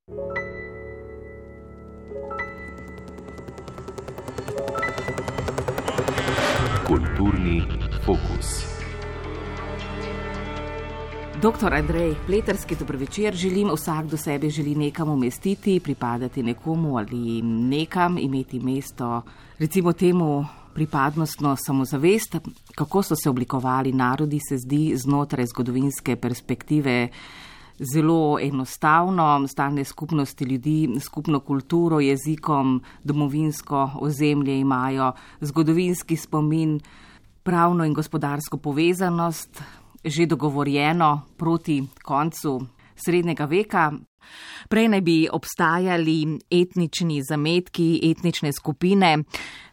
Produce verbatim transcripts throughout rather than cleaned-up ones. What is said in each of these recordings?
Kulturni fokus. Doktor Andrej Pleterski, dober večer. Želim, vsak do sebe želi nekam umestiti, pripadati nekomu ali nekam, imeti mesto, recimo temu pripadnostno samozavest. Kako so se oblikovali narodi, se zdi znotraj zgodovinske perspektive zelo enostavno. Stalne skupnosti ljudi, skupno kulturo, jezikom, domovinsko ozemlje imajo, zgodovinski spomin, pravno in gospodarsko povezanost, že dogovorjeno proti koncu srednjega veka. Prej naj bi obstajali etnični zametki, etnične skupine.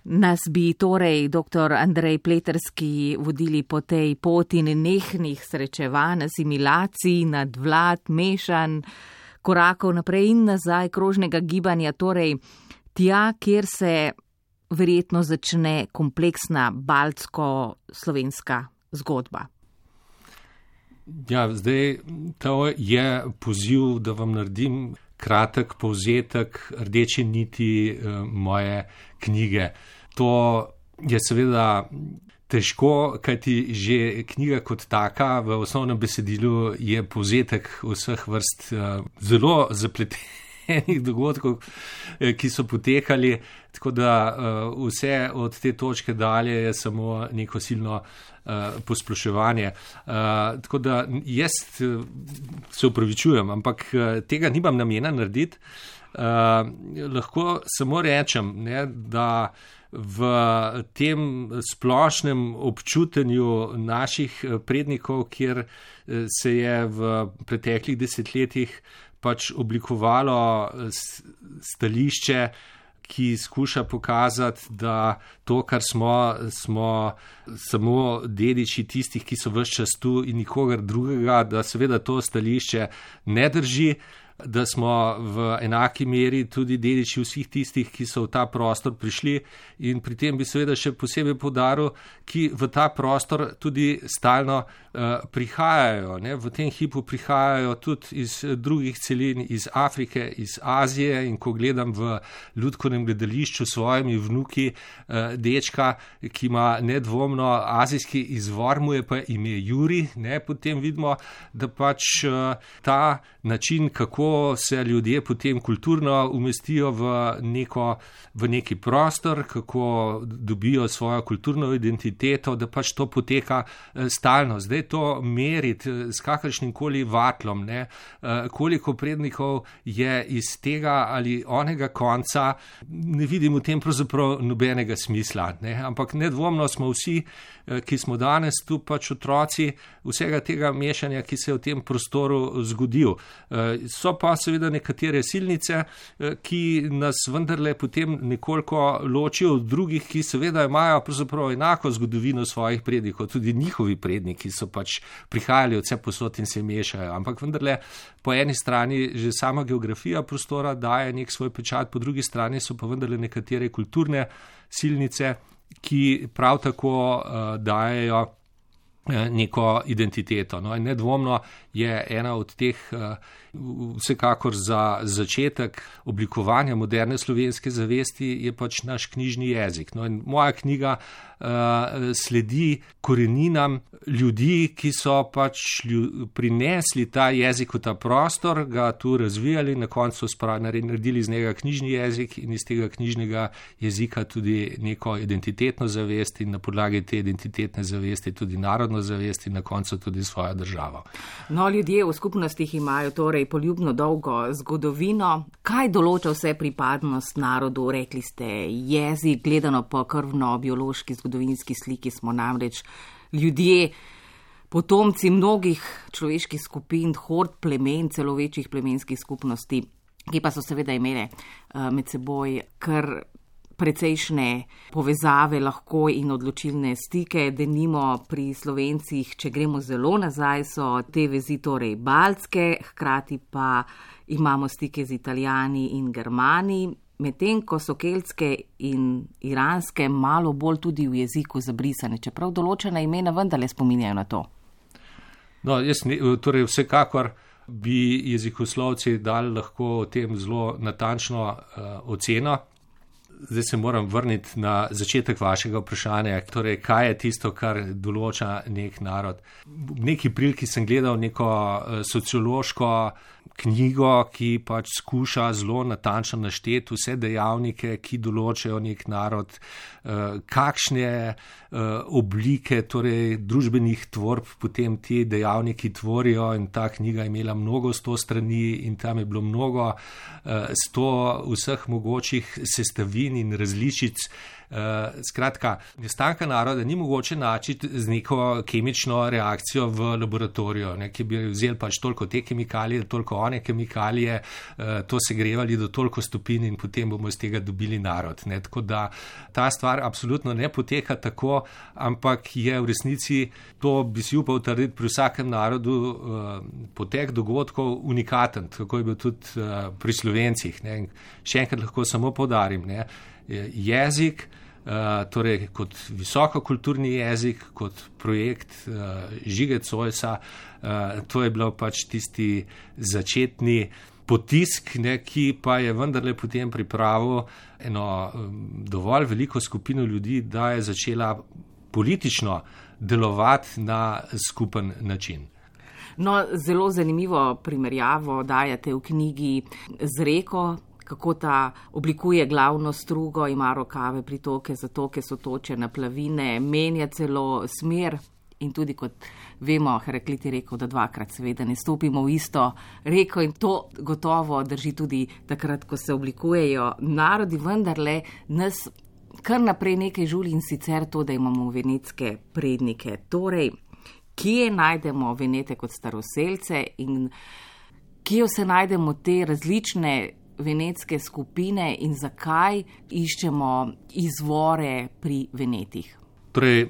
Nas bi torej doktor Andrej Pleterski vodili po tej poti nenehnih srečevanj, asimilacij, nadvlad, mešan, korakov naprej in nazaj, krožnega gibanja, torej tja, kjer se verjetno začne kompleksna baltsko-slovenska zgodba. Ja, zdaj to je poziv, da vam naredim kratek povzetek rdeče niti uh, moje knjige. To je seveda težko, kajti že knjiga kot taka v osnovnem besedilu je povzetek vseh vrst uh, zelo zapletenih dogodkov, ki so potekali, tako da uh, vse od te točke dalje je samo neko silno Uh, posploševanje. Uh, tako da jaz uh, se upravičujem, ampak uh, tega nimam namena narediti. Uh, lahko samo rečem, ne, da v tem splošnem občutenju naših prednikov, kjer se je v preteklih desetletjih pač oblikovalo stališče, ki skuša pokazati, da to, kar smo, smo samo dediči tistih, ki so ves čas tu in nikogar drugega, da seveda to stališče ne drži, da smo v enaki meri tudi dediči vseh tistih, ki so v ta prostor prišli, in pri tem bi seveda še posebej poudaril, ki v ta prostor tudi stalno uh, prihajajo. Ne? V tem hipu prihajajo tudi iz drugih celin, iz Afrike, iz Azije, in ko gledam v Lutkovnem gledališču s svojimi vnuki uh, dečka, ki ima nedvomno azijski izvor, mu je pa ime Juri, ne? Potem vidimo, da pač uh, ta način, kako se ljudje potem kulturno umestijo v, neko, v neki prostor, kako dobijo svojo kulturno identiteto, da pač to poteka stalno. Zdaj to meriti s kakršnim koli vatlom, ne, koliko prednikov je iz tega ali onega konca, ne vidim v tem pravzaprav nobenega smisla. Ne. Ampak nedvomno smo vsi, ki smo danes tu pač otroci vsega tega mešanja, ki se je v tem prostoru zgodil. So pa seveda nekatere silnice, ki nas vendarle potem nekoliko ločijo od drugih, ki seveda imajo pravzaprav enako zgodovino svojih prednikov, tudi njihovi predniki so pač prihajali od vse posod in se mešajo. Ampak vendarle po eni strani že sama geografija prostora daje nek svoj pečat, po drugi strani so pa vendarle nekatere kulturne silnice, ki prav tako uh, dajejo uh, neko identiteto. No, in nedvomno je ena od teh uh, vsekakor za začetek oblikovanja moderne slovenske zavesti je pač naš knjižni jezik. No, in moja knjiga uh, sledi koreninam ljudi, ki so pač lju, prinesli ta jezik v ta prostor, ga tu razvijali, na koncu naredili iz njega knjižni jezik in iz tega knjižnega jezika tudi neko identitetno zavest in na podlagi te identitetne zavesti tudi narodno zavest in na koncu tudi svojo državo. No, ljudje v skupnostih imajo torej poljubno dolgo zgodovino. Kaj določa vse pripadnost narodu? Rekli ste jezik, gledano po krvno-biološki zgodovinski sliki smo namreč ljudje, potomci mnogih človeških skupin, hord plemen, celo večjih plemenskih skupnosti, ki pa so seveda imele uh, med seboj kar precejšnje povezave lahko in odločilne stike, denimo pri Slovencih, če gremo zelo nazaj, so te vezi torej baltske, hkrati pa imamo stike z Italijani in Germani, medtem ko so keltske in iranske malo bolj tudi v jeziku zabrisane, čeprav določena imena vendarle spominjajo na to. No, jaz ne, torej vsekakor bi jezikoslovci dali lahko o tem zelo natančno uh, oceno. Zdaj se moram vrniti na začetek vašega vprašanja, torej kaj je tisto, kar določa nek narod. V neki priliki sem gledal neko sociološko knjigo, ki pač skuša zelo natančno našteti vse dejavnike, ki določajo nek narod, kakšne oblike, torej družbenih tvorb potem ti dejavniki tvorijo, in ta knjiga je imela mnogo sto strani in tam je bilo mnogo sto vseh mogočih sestavin in različic. Uh, skratka, nastanka naroda ni mogoče načiti z neko kemično reakcijo v laboratoriju, ne, ki bi vzeli pač toliko te kemikalije, toliko one kemikalije, uh, to segrevali do toliko stopinj in potem bomo iz tega dobili narod. Ne. Tako da ta stvar absolutno ne poteka tako, ampak je v resnici, to bi si upal trditi, pri vsakem narodu uh, potek dogodkov unikaten, tako je bil tudi uh, pri Slovencih. Ne. Še enkrat lahko samo poudarim, ne. Jezik, uh, torej kot visokokulturni jezik, kot projekt uh, Žige Zoisa, uh, to je bilo pač tisti začetni potisk, ne, ki pa je vendarle potem pripravil eno um, dovolj veliko skupino ljudi, da je začela politično delovati na skupen način. No, zelo zanimivo primerjavo dajate v knjigi z reko, kako ta oblikuje glavno strugo, ima rokave, pritoke, zatoke, sotoče, naplavine, menja celo smer in tudi, kot vemo, Heraklit je rekel, da dvakrat seveda ne stopimo v isto reko in to gotovo drži tudi takrat, ko se oblikujejo narodi, vendarle nas kar naprej nekaj žuli in sicer to, da imamo venetske prednike. Torej, kje najdemo Venete kot staroselce in kje se najdemo te različne venetske skupine in zakaj iščemo izvore pri Venetih? Torej,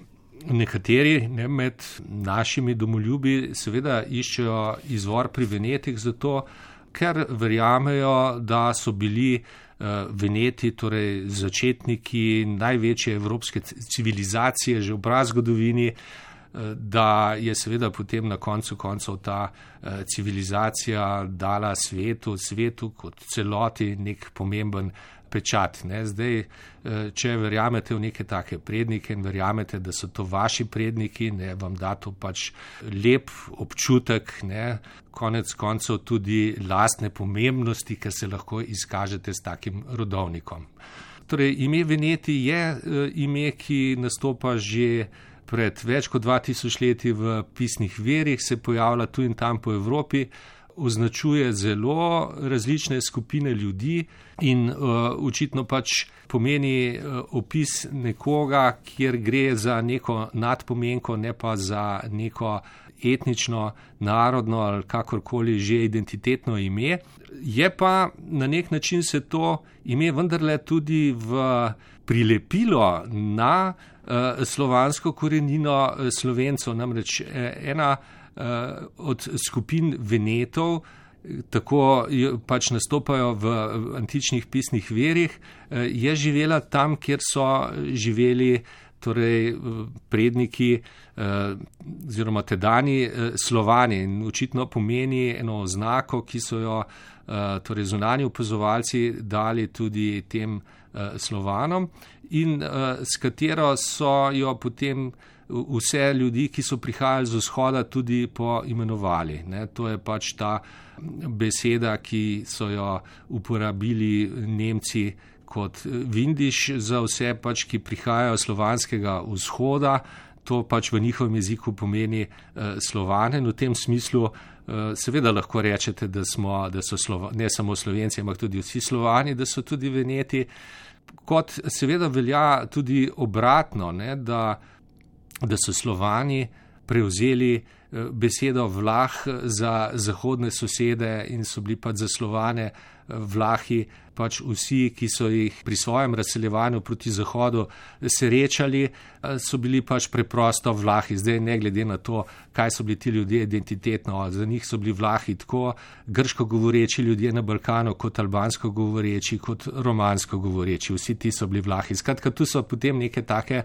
nekateri, ne, med našimi domoljubi seveda iščejo izvor pri Venetih zato, ker verjamejo, da so bili uh, Veneti, torej začetniki največje evropske civilizacije že v prazgodovini, da je seveda potem na koncu koncev ta eh, civilizacija dala svetu, svetu kot celoti nek pomemben pečat. Ne. Zdaj, eh, če verjamete v neke take prednike in verjamete, da so to vaši predniki, ne, vam da to pač lep občutek, ne, konec koncev tudi lastne pomembnosti, ker se lahko izkažete s takim rodovnikom. Torej, ime Veneti je eh, ime, ki nastopa že pred več kot dva tisoč leti v pisnih verjih, se pojavlja tu in tam po Evropi, označuje zelo različne skupine ljudi in uh, očitno pač pomeni uh, opis nekoga, kjer gre za neko nadpomenko, ne pa za neko etnično, narodno ali kakorkoli že identitetno ime. Je pa na nek način se to ime vendarle tudi v prilepilo na uh, slovansko korenino Slovencev, namreč ena uh, od skupin Venetov, tako pač nastopajo v antičnih pisnih verjih, uh, je živela tam, kjer so živeli torej predniki uh, oziroma tedani uh, Slovani, in očitno pomeni eno oznako, ki so jo uh, torej zunanji opazovalci dali tudi tem Slovanom in uh, s katero so jo potem vse ljudi, ki so prihajali z vzhoda, tudi poimenovali. Ne. To je pač ta beseda, ki so jo uporabili Nemci kot vindiš za vse, pač, ki prihajajo slovanskega vzhoda. To pač v njihovem jeziku pomeni uh, Slovane. In v tem smislu uh, seveda lahko rečete, da, smo, da so Slova, ne samo Slovenci, ampak tudi vsi Slovani, da so tudi Veneti. Kot seveda velja tudi obratno, ne, da, da so Slovani prevzeli besedo Vlah za zahodne sosede in so bili pač za Slovane Vlahi pač vsi, ki so jih pri svojem razseljevanju proti zahodu srečali, so bili pač preprosto Vlahi. Zdaj ne glede na to, kaj so bili ti ljudje identitetno, za njih so bili Vlahi tako grško govoreči ljudje na Balkanu, kot albansko govoreči, kot romansko govoreči. Vsi ti so bili Vlahi. Skratka, tu so potem neke take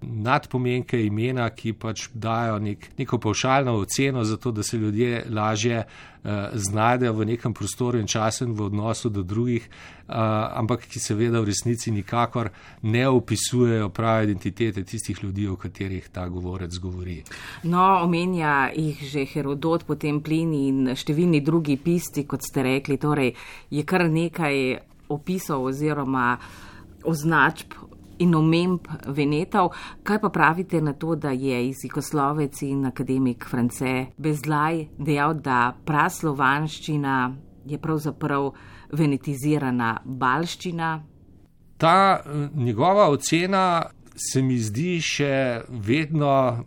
nadpomenke imena, ki pač dajo nek, neko pavšalno oceno za to, da se ljudje lažje uh, znajdejo v nekem prostoru in času in v odnosu do drugih, uh, ampak ki seveda v resnici nikakor ne opisujejo prave identitete tistih ljudi, o katerih ta govorec govori. No, omenja jih že Herodot, potem Plini in številni drugi pisci, kot ste rekli, torej je kar nekaj opisov oziroma označb in omemb Venetov. Kaj pa pravite na to, da je jezikoslovec in akademik France Bezlaj dejal, da praslovanščina je pravzaprav venetizirana balščina? Ta njegova ocena se mi zdi še vedno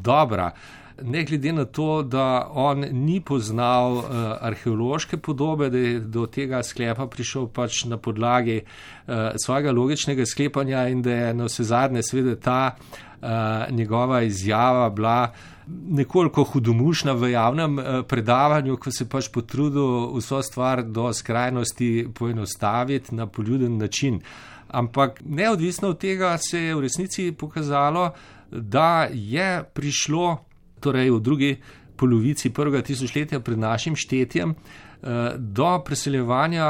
dobra. Ne glede na to, da on ni poznal uh, arheološke podobe, da je do tega sklepa prišel pač na podlagi uh, svojega logičnega sklepanja in da je na vse zadnje seveda ta uh, njegova izjava bila nekoliko hudomušna v javnem uh, predavanju, ko se pač potrudil vso stvar do skrajnosti poenostaviti na poljuden način. Ampak neodvisno od tega se je v resnici pokazalo, da je prišlo torej v drugi polovici prvega tisočletja pred našim štetjem, do preseljevanja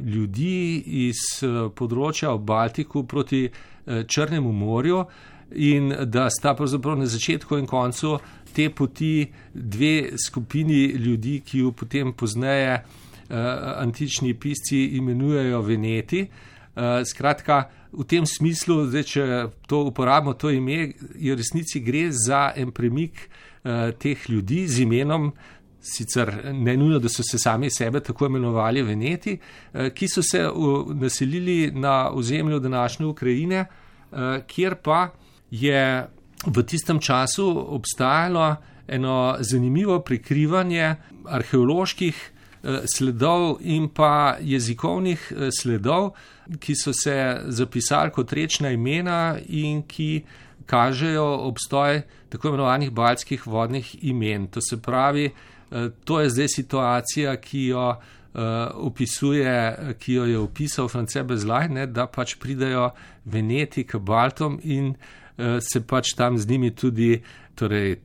ljudi iz področja ob Baltiku proti Črnemu morju in da sta pravzaprav na začetku in koncu te poti dve skupini ljudi, ki jo potem pozneje antični pisci imenujejo Veneti. Skratka, v tem smislu, zdaj, če to uporabimo, to ime, je v resnici gre za en premik uh, teh ljudi z imenom, sicer ne nujno, da so se sami sebe tako imenovali Veneti, uh, ki so se uh, naselili na ozemlju današnje Ukrajine, uh, kjer pa je v tistem času obstajalo eno zanimivo prikrivanje arheoloških sledov in pa jezikovnih sledov, ki so se zapisali kot rečna imena in ki kažejo obstoj tako imenovanih baltskih vodnih imen. To se pravi, to je zdaj situacija, ki jo opisuje, ki jo je opisal France Bezlaj, ne, da pač pridejo Veneti k Baltom in se pač tam z njimi tudi torej,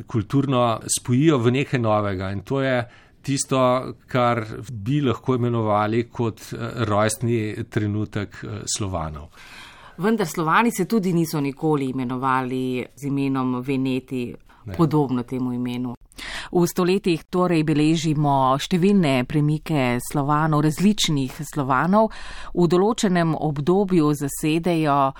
kulturno spojijo v nekaj novega. In to je tisto, kar bi lahko imenovali kot rojstni trenutek Slovanov. Vendar Slovani se tudi niso nikoli imenovali z imenom Veneti, ne. Podobno temu imenu. V stoletjih torej beležimo številne premike Slovanov, različnih Slovanov. V določenem obdobju zasedejo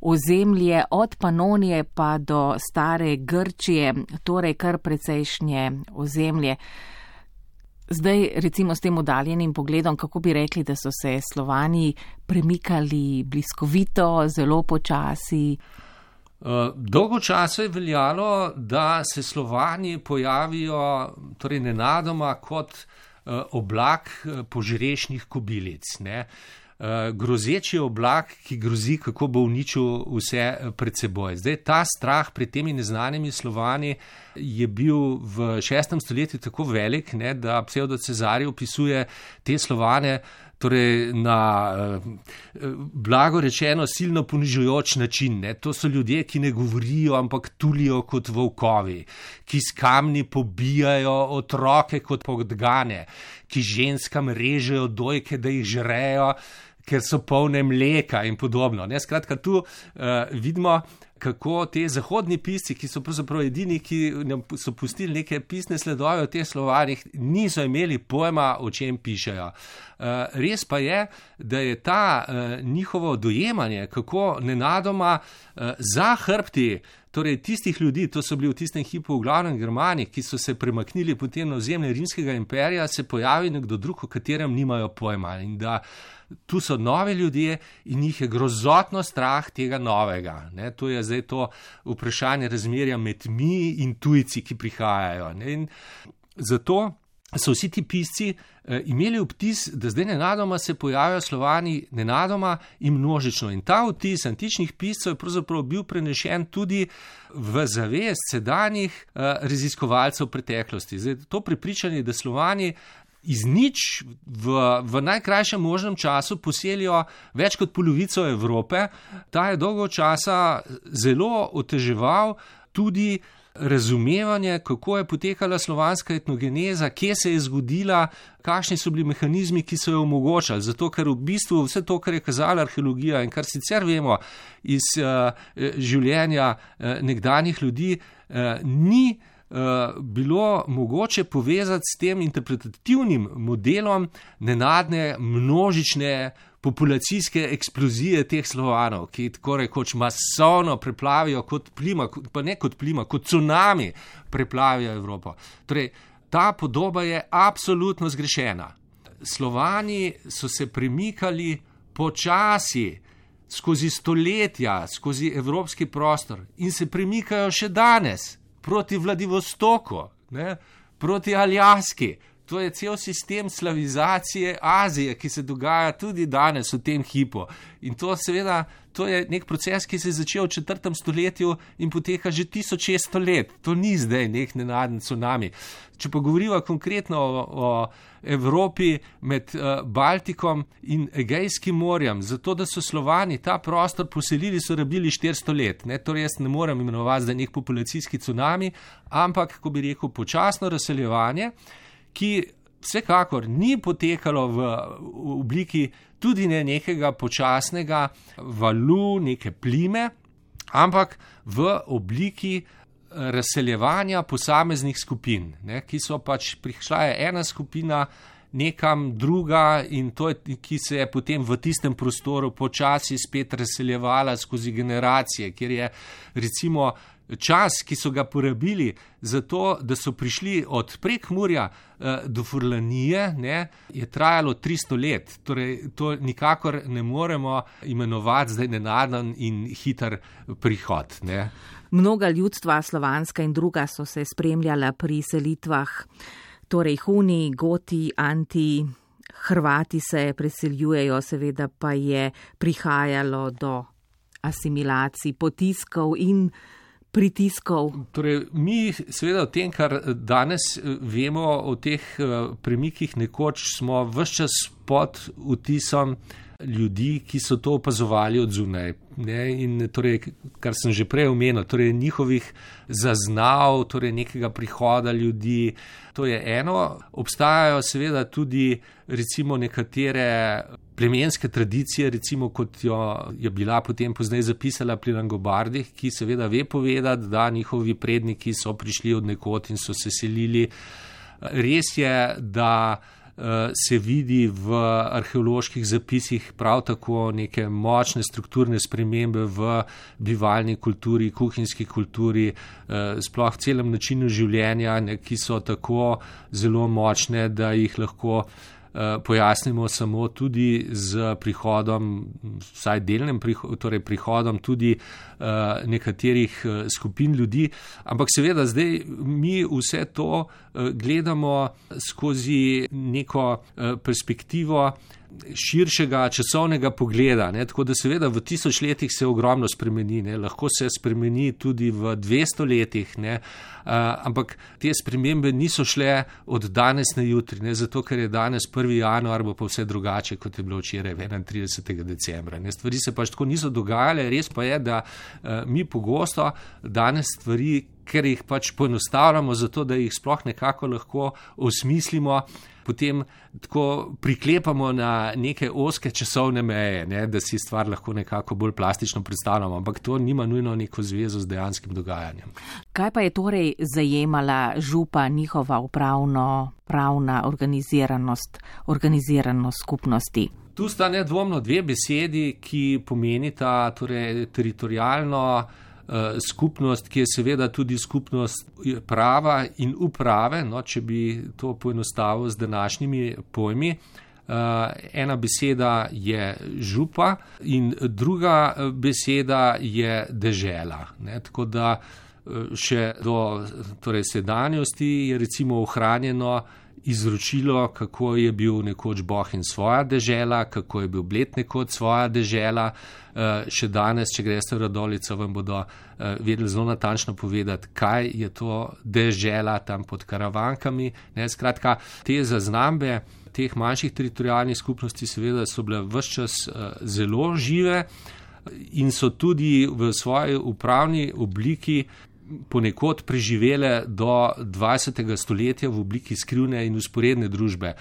ozemlje od Panonije pa do stare Grčije, torej kar precejšnje ozemlje. Zdaj, recimo s tem oddaljenim pogledom, kako bi rekli, da so se Slovani premikali bliskovito, zelo počasi? Dolgo časa je veljalo, da se Slovani pojavijo torej nenadoma kot oblak požrešnih kobilic, ne? Grozeči oblak, ki grozi, kako bo uničil vse pred seboj. Zdaj, ta strah pred temi neznanimi Slovani je bil v šestem stoletju tako velik, ne, da Psevdo-Cezari opisuje te Slovane torej na blago rečeno silno ponižujoč način. Ne. To so ljudje, ki ne govorijo, ampak tulijo kot volkovi, ki s kamni pobijajo otroke kot podgane, ki ženskam režejo dojke, da jih žrejo, ker so polne mleka in podobno. Ne. Skratka, tu uh, vidimo, kako te zahodni pisci, ki so pravzaprav edini, ki so pustili neke pisne sledove o teh Slovanih, niso imeli pojma, o čem pišejo. Uh, res pa je, da je ta uh, njihovo dojemanje, kako nenadoma uh, za hrbti, torej tistih ljudi, to so bili v tistem hipu v glavnem Germani, ki so se premaknili potem na ozemlje Rimskega imperija, se pojavi nekdo drug, o katerem nimajo pojma in da tu so nove ljudje in jih je grozotno strah tega novega. Ne, to je zdaj to vprašanje razmerja med mi in tujci, ki prihajajo. Ne, in zato so vsi ti pisci eh, imeli vtis, da zdaj nenadoma se pojavjajo Slovani nenadoma in množično. In ta vtis antičnih piscev je pravzaprav bil prenešen tudi v zavest sedanjih eh, raziskovalcev preteklosti. Zdaj, to prepričanje, da Slovani iz nič v, v najkrajšem možnem času poselijo več kot polovico Evrope. Ta je dolgo časa zelo oteževal tudi razumevanje, kako je potekala slovanska etnogeneza, kje se je zgodila, kakšni so bili mehanizmi, ki so jo omogočali. Zato, ker v bistvu vse to, kar je kazala arheologija in kar sicer vemo iz uh, življenja uh, nekdanjih ljudi, uh, ni bilo mogoče povezati s tem interpretativnim modelom nenadne množične populacijske eksplozije teh Slovanov, ki tako rekoč masovno preplavijo kot plima, pa ne kot plima, kot cunami preplavijo Evropo. Torej, ta podoba je absolutno zgrešena. Slovani so se premikali počasi skozi stoletja, skozi evropski prostor in se premikajo še danes. Proti Vladivostoku, ne, proti Aljaski. To je cel sistem slavizacije Azije, ki se dogaja tudi danes v tem hipu. In to seveda, to je nek proces, ki se je začel v četrtem stoletju in poteka že tisoč šeststo let. To ni zdaj nek nenaden cunami. Če pa govoriva konkretno o, o Evropi med uh, Baltikom in Egejskim morjem, zato da so Slovani ta prostor poselili, so rabili štiristo let. Ne? Torej jaz ne morem imenovati zdaj nek populacijski cunami, ampak, ko bi rekel, počasno razseljevanje, ki vsekakor ni potekalo v obliki tudi ne nekega počasnega valu, neke plime, ampak v obliki razseljevanja posameznih skupin, ne, ki so pač prišla je ena skupina nekam druga in to je, ki se je potem v tistem prostoru počasi spet razseljevala skozi generacije, kjer je recimo čas, ki so ga porabili za to, da so prišli od Prekmurja eh, do Furlanije, ne, je trajalo tristo let. Torej, to nikakor ne moremo imenovati zdaj nenaden in hiter prihod. Ne. Mnoga ljudstva, slovanska in druga, so se spremljala pri selitvah. Torej, Huni, Goti, Anti, Hrvati se preseljujejo, seveda pa je prihajalo do asimilacij, potiskov in pritiskov. Torej, mi seveda o tem, kar danes vemo o teh premikih nekoč, smo ves čas pod vtisom ljudi, ki so to opazovali od zunaj. Ne? In torej, kar sem že prej omenil, torej njihovih zaznav, torej nekega prihoda ljudi, to je eno. Obstajajo seveda tudi recimo nekatere plemenske tradicije, recimo kot jo je bila potem pozneje zapisala pri Langobardih, ki seveda ve povedati, da njihovi predniki so prišli od nekod in so se selili. Res je, da se vidi v arheoloških zapisih prav tako neke močne strukturne spremembe v bivalni kulturi, kuhinjski kulturi, sploh celem načinu življenja, ki so tako zelo močne, da jih lahko pojasnimo samo tudi z prihodom, vsaj delnim prihodom, torej prihodom tudi uh, nekaterih uh, skupin ljudi. Ampak seveda zdaj mi vse to uh, gledamo skozi neko uh, perspektivo širšega časovnega pogleda, ne? Tako da seveda v tisoč letih se ogromno spremeni, ne? Lahko se spremeni tudi v dvesto letih, ne? Uh, ampak te spremembe niso šle od danes na jutri, ne? Zato ker je danes prvi januar, bo pa vse drugače, kot je bilo včeraj enaintridesetega decembra. Ne? Stvari se pač tako niso dogajale, res pa je, da uh, mi pogosto danes stvari, ker jih pač poenostavljamo, zato da jih sploh nekako lahko osmislimo, potem tako priklepamo na neke ozke časovne meje, ne, da si stvar lahko nekako bolj plastično predstavljamo, ampak to nima nujno neko zvezo z dejanskim dogajanjem. Kaj pa je torej zajemala župa, njihova upravno, pravna organiziranost, organiziranost skupnosti? Tu sta nedvomno dve besedi, ki pomenita torej teritorialno skupnost, ki je seveda tudi skupnost prava in uprave, no, če bi to poenostavil z današnjimi pojmi. Ena beseda je župa in druga beseda je dežela. Ne, tako da še do torej sedanjosti je recimo ohranjeno izročilo, kako je bil nekoč Bohinj svoja dežela, kako je bil Bled nekoč svoja dežela. Še danes, če greste v Radovljico, vam bodo vedeli zelo natančno povedati, kaj je to dežela tam pod Karavankami. Ne, skratka, te zaznambe teh manjših teritorijalnih skupnosti seveda so bile ves čas zelo žive in so tudi v svoji upravni obliki ponekod preživele do dvajsetega stoletja v obliki skrivne in usporedne družbe.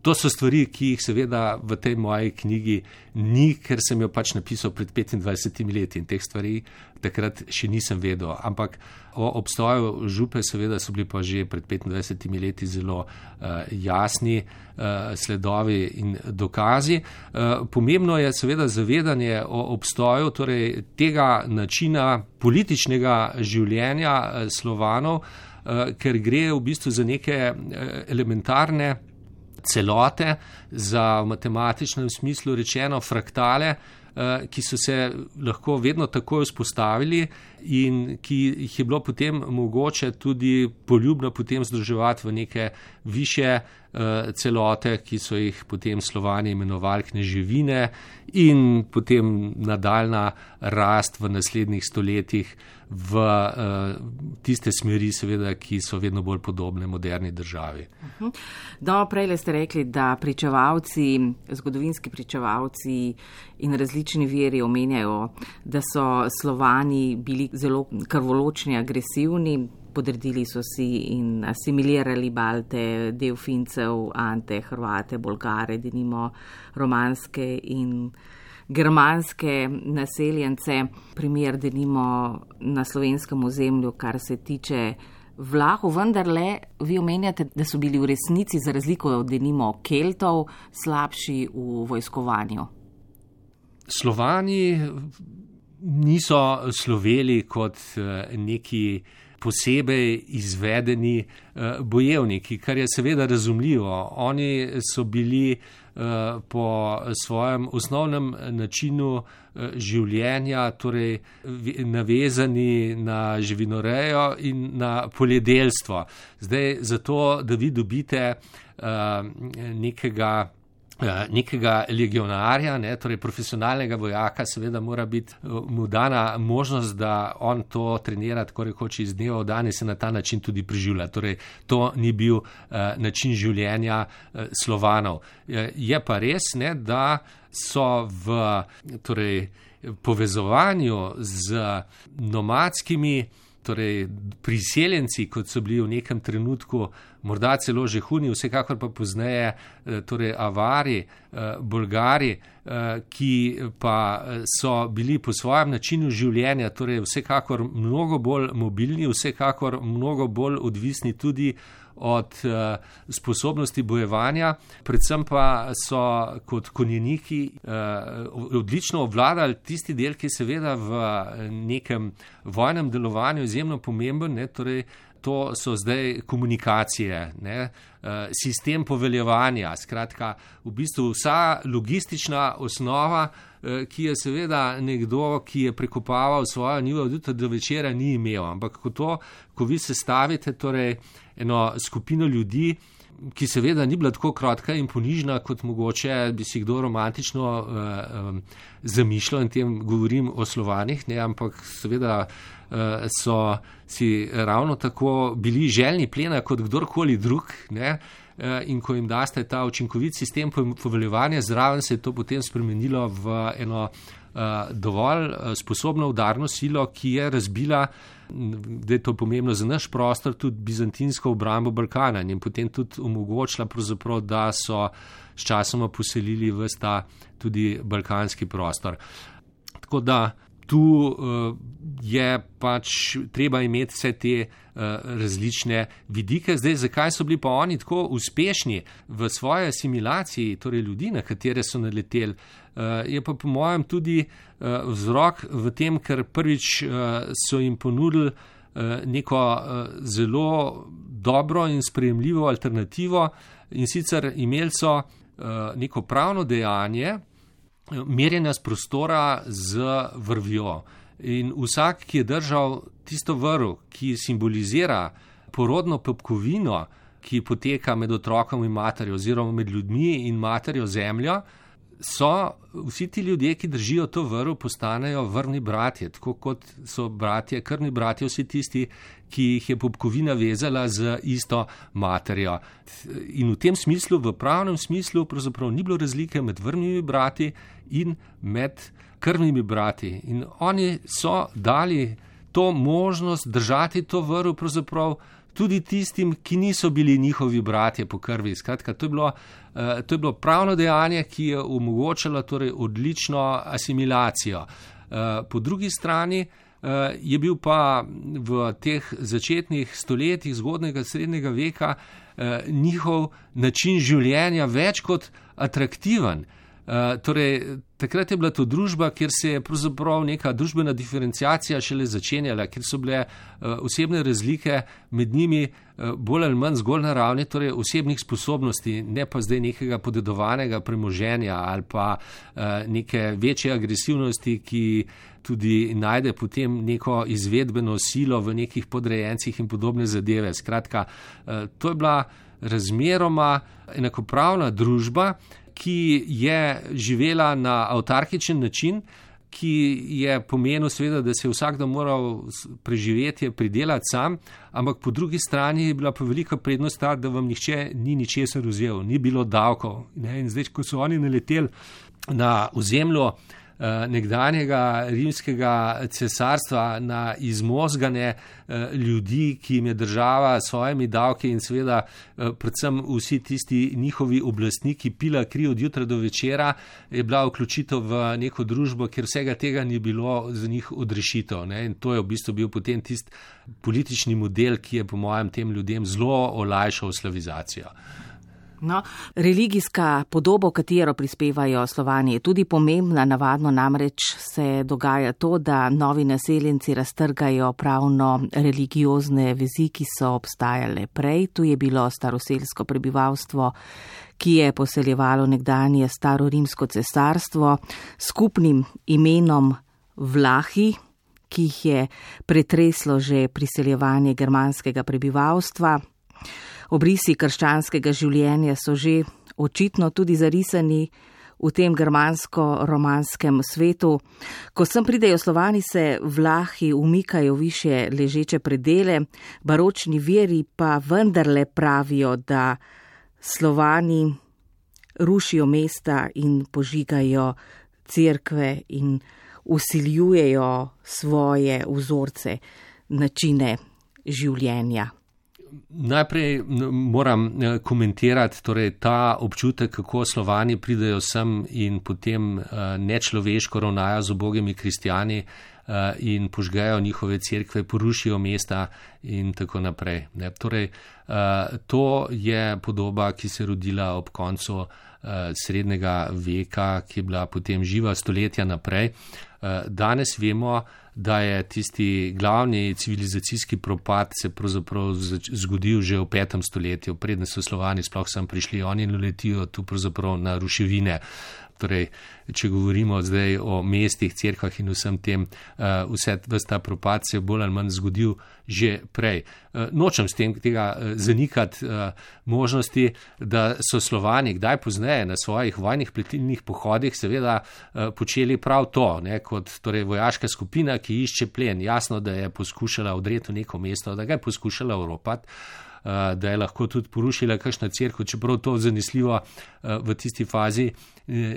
To so stvari, ki jih seveda v tej moji knjigi ni, ker sem jo pač napisal pred petindvajsetimi leti in teh stvari takrat še nisem vedel. Ampak o obstoju župe seveda so bili pa že pred petindvajsetimi leti zelo uh, jasni uh, sledovi in dokazi. Uh, pomembno je seveda zavedanje o obstoju torej tega načina političnega življenja uh, Slovanov, uh, ker gre v bistvu za neke uh, elementarne celote, za v matematičnem smislu rečeno fraktale, ki so se lahko vedno takoj vzpostavili in ki jih je bilo potem mogoče tudi poljubno potem združevati v neke više celote, ki so jih potem Slovani imenovali kneževine in potem nadaljna rast v naslednjih stoletjih v tiste smeri, seveda, ki so vedno bolj podobne moderni državi. No, prej ste rekli, da pričevalci, zgodovinski pričevalci in različni viri omenjajo, da so Slovani bili zelo krvoločni, agresivni, podredili so si in asimilirali Balte, del Fincev, Ante, Hrvate, Bolgare, denimo romanske in germanske naseljence. Primer denimo na slovenskem ozemlju, kar se tiče Vlahov, vendarle vi omenjate, da so bili v resnici za razliko od denimo Keltov slabši v vojskovanju. Slovani niso sloveli kot neki posebej izvedeni uh, bojevniki, kar je seveda razumljivo. Oni so bili uh, po svojem osnovnem načinu uh, življenja torej navezani na živinorejo in na poljedelstvo. Zdaj, zato, da vi dobite uh, nekega nekega legionarja, ne, torej profesionalnega vojaka, seveda mora biti mu dana možnost, da on to trenira tako rekoč iz dneva v dan in se na ta način tudi preživlja. Torej, to ni bil uh, način življenja uh, Slovanov. Uh, je pa res, ne, da so v torej, povezovanju z nomadskimi, torej priseljenci, kot so bili v nekem trenutku, morda celo že Huni, vsekakor pa pozneje, torej Avari, Bolgari, ki pa so bili po svojem načinu življenja, torej vsekakor mnogo bolj mobilni, vsekakor mnogo bolj odvisni tudi od uh, sposobnosti bojevanja, predvsem pa so kot konjeniki uh, odlično obvladali tisti del, ki je seveda v nekem vojnem delovanju izjemno pomemben, ne, torej to so zdaj komunikacije, ne, uh, sistem poveljevanja, skratka, v bistvu vsa logistična osnova, uh, ki je seveda nekdo, ki je prekopaval svojo njivo od jutra do večera, ni imel, ampak ko to, ko vi sestavite, torej eno skupino ljudi, ki seveda ni bila tako kratka in ponižna, kot mogoče bi si kdo romantično uh, um, zamišljal, in tem govorim o Slovanih, ne, ampak seveda uh, so si ravno tako bili željni plena kot kdorkoli drug, ne, uh, in ko jim daste ta učinkovit sistem poveljevanja, zraven se je to potem spremenilo v eno uh, dovolj uh, sposobno udarno silo, ki je razbila, da je to pomembno za naš prostor, tudi bizantinsko obrambo Balkana in potem tudi omogočila, da so s časoma poselili ves ta tudi balkanski prostor. Tako da tu uh, je pač treba imeti vse te uh, različne vidike. Zdaj, zakaj so bili pa oni tako uspešni v svoji asimilaciji, torej ljudi, na katere so naleteli, uh, je pa po mojem tudi uh, vzrok v tem, ker prvič uh, so jim ponudili uh, neko uh, zelo dobro in sprejemljivo alternativo, in sicer imeli so uh, neko pravno dejanje merjenja z prostora z vrvjo. In vsak, ki je držal tisto vrv, ki simbolizira porodno popkovino, ki poteka med otrokom in materjo oziroma med ljudmi in materjo zemljo, so vsi ti ljudje, ki držijo to vrv, postanejo vrvni bratje, tako kot so bratje, krvni bratje, vsi tisti, ki jih je popkovina vezala z isto materjo. In v tem smislu, v pravnem smislu, pravzaprav ni bilo razlike med vrvnimi brati in med krvnimi brati. In oni so dali to možnost držati to vrv pravzaprav tudi tistim, ki niso bili njihovi bratje po krvi. Skratka, to je bilo, to je bilo pravno dejanje, ki je omogočalo torej odlično asimilacijo. Po drugi strani je bil pa v teh začetnih stoletjih zgodnjega srednjega veka njihov način življenja več kot atraktiven. Uh, torej, takrat je bila to družba, kjer se je pravzaprav neka družbena diferenciacija šele začenjala, kjer so bile uh, osebne razlike med njimi uh, bolj ali manj zgolj na ravni torej osebnih sposobnosti, ne pa zdaj nekega podedovanega premoženja ali pa uh, neke večje agresivnosti, ki tudi najde potem neko izvedbeno silo v nekih podrejencih in podobne zadeve. Skratka, uh, to je bila razmeroma enakopravna družba, ki je živela na avtarkičen način, ki je pomenil seveda, da se je vsakdo moral preživetje pridelati sam, ampak po drugi strani je bila pa velika prednost ta, da vam nihče ni ničesar vzel, ni bilo davkov. Ne? In zdaj, ko so oni naleteli na ozemlju nekdanjega rimskega cesarstva, na izmozgane ljudi, ki jim je država s svojimi davki in seveda predvsem vsi tisti njihovi oblastniki pila kri od jutra do večera, je bila vključitev v neko družbo, kjer vsega tega ni bilo za njih odrešitev. Ne? In to je v bistvu bil potem tisti politični model, ki je po mojem tem ljudem zelo olajšal slavizacijo. No, religijska podoba, katero prispevajo Slovani, je tudi pomembna. Navadno namreč se dogaja to, da novi naseljenci raztrgajo pravno religiozne vezi, ki so obstajale prej. Tu je bilo staroselsko prebivalstvo, ki je poseljevalo nekdanje starorimsko cesarstvo s skupnim imenom Vlahi, ki jih je pretreslo že priseljevanje germanskega prebivalstva. Obrisi krščanskega življenja so že očitno tudi zarisani v tem germansko-romanskem svetu. Ko sem pridejo Slovani, se Vlahi umikajo više ležeče predele, baročni viri pa vendarle pravijo, da Slovani rušijo mesta in požigajo cerkve in vsiljujejo svoje vzorce, načine življenja. Najprej moram komentirati torej, ta občutek, kako Slovani pridejo sem in potem nečloveško ravnajo z ubogimi kristjani in požgejo njihove cerkve, porušijo mesta in tako naprej. Ne. Torej, to je podoba, ki se je rodila ob koncu srednjega veka, ki je bila potem živa stoletja naprej. Danes vemo, da je tisti glavni civilizacijski propad se pravzaprav zgodil že v petem stoletju, preden so Slovani sploh sem prišli, oni naletijo tu pravzaprav na ruševine. Torej, če govorimo zdaj o mestih, cerkvah in vsem tem, vse ta propad se je bolj ali manj zgodil že prej. Nočem s tem tega zanikati možnosti, da so Slovani kdaj pozneje na svojih vojnih pletilnih pohodih seveda počeli prav to, ne, kot torej vojaška skupina, ki išče plen. Jasno, da je poskušala odreti v neko mesto, da ga je poskušala oropati, da je lahko tudi porušila kakšna cerkev, čeprav to zanesljivo v tisti fazi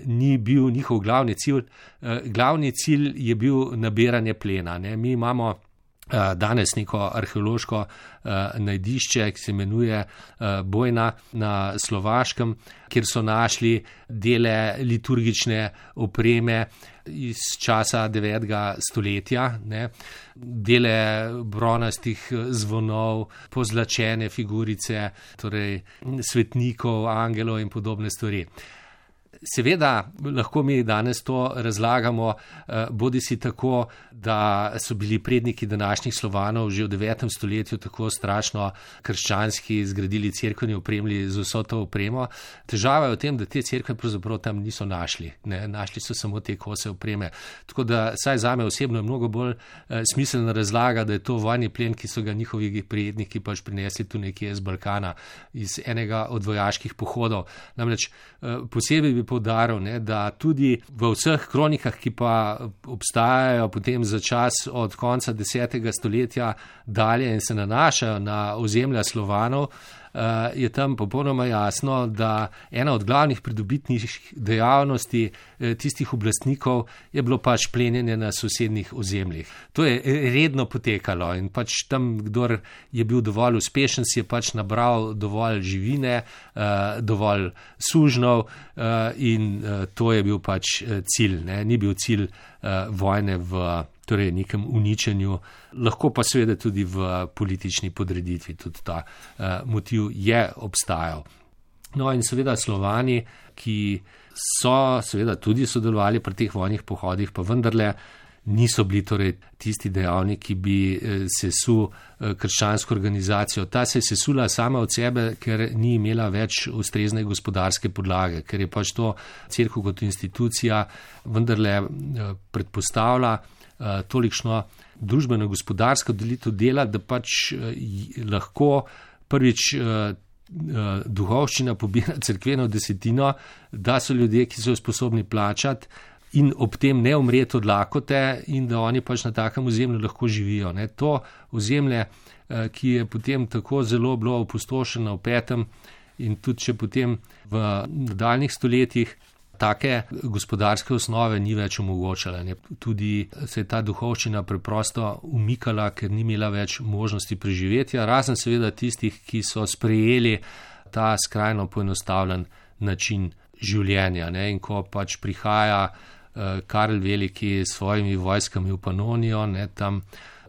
ni bil njihov glavni cilj. Glavni cilj je bil nabiranje plena. Ne. Mi imamo danes neko arheološko najdišče, ki se imenuje Bojna na Slovaškem, kjer so našli dele liturgične opreme iz časa devetega stoletja, ne, dele bronastih zvonov, pozlačene figurice, torej svetnikov, angelov in podobne stvari. Seveda lahko mi danes to razlagamo, bodi si tako, da so bili predniki današnjih Slovanov že v devetem stoletju tako strašno krščanski, zgradili cerkve in opremili z vso to opremo. Težava je v tem, da te cerkve pravzaprav tam niso našli. Ne? Našli so samo te kose opreme. Tako da saj zame osebno je mnogo bolj eh, smiselna razlaga, da je to vojni plen, ki so ga njihovi predniki pač prinesli tu nekje iz Balkana, iz enega od vojaških pohodov. Namreč eh, posebej bi poudaril, ne, da tudi v vseh kronikah, ki pa obstajajo potem za čas od konca desetega stoletja dalje in se nanašajo na ozemlja Slovanov, je tam popolnoma jasno, da ena od glavnih pridobitnih dejavnosti tistih oblastnikov je bilo pač plenjenje na sosednjih ozemljih. To je redno potekalo in pač tam, kdor je bil dovolj uspešen, si je pač nabral dovolj živine, dovolj sužnov in to je bil pač cilj. Ne? Ni bil cilj vojne v torej nekem uničenju, lahko pa seveda tudi v politični podreditvi, tudi ta uh, motiv je obstajal. No in seveda Slovani, ki so seveda tudi sodelovali pri teh vojnih pohodih, pa vendarle niso bili torej tisti dejavniki, ki bi sesul krščansko organizacijo. Ta se je sesula sama od sebe, ker ni imela več ustrezne gospodarske podlage, ker je pač to cerkev kot institucija vendarle predpostavlja tolikšno družbeno-gospodarsko delitev dela, da pač lahko prvič duhovščina pobira cerkveno desetino, da so ljudje, ki so sposobni plačati in ob tem ne umreti od lakote in da oni pač na takem ozemlju lahko živijo. Ne. To ozemlje, ki je potem tako zelo bilo opustošeno v petem in tudi če potem v nadaljnjih stoletjih take gospodarske osnove ni več omogočala. Ne. Tudi se je ta duhovščina preprosto umikala, ker ni imela več možnosti preživetja, razen seveda tistih, ki so sprejeli ta skrajno poenostavljen način življenja. Ne. In ko pač prihaja uh, Karel Veliki s svojimi vojskami v Panonijo, ne, tam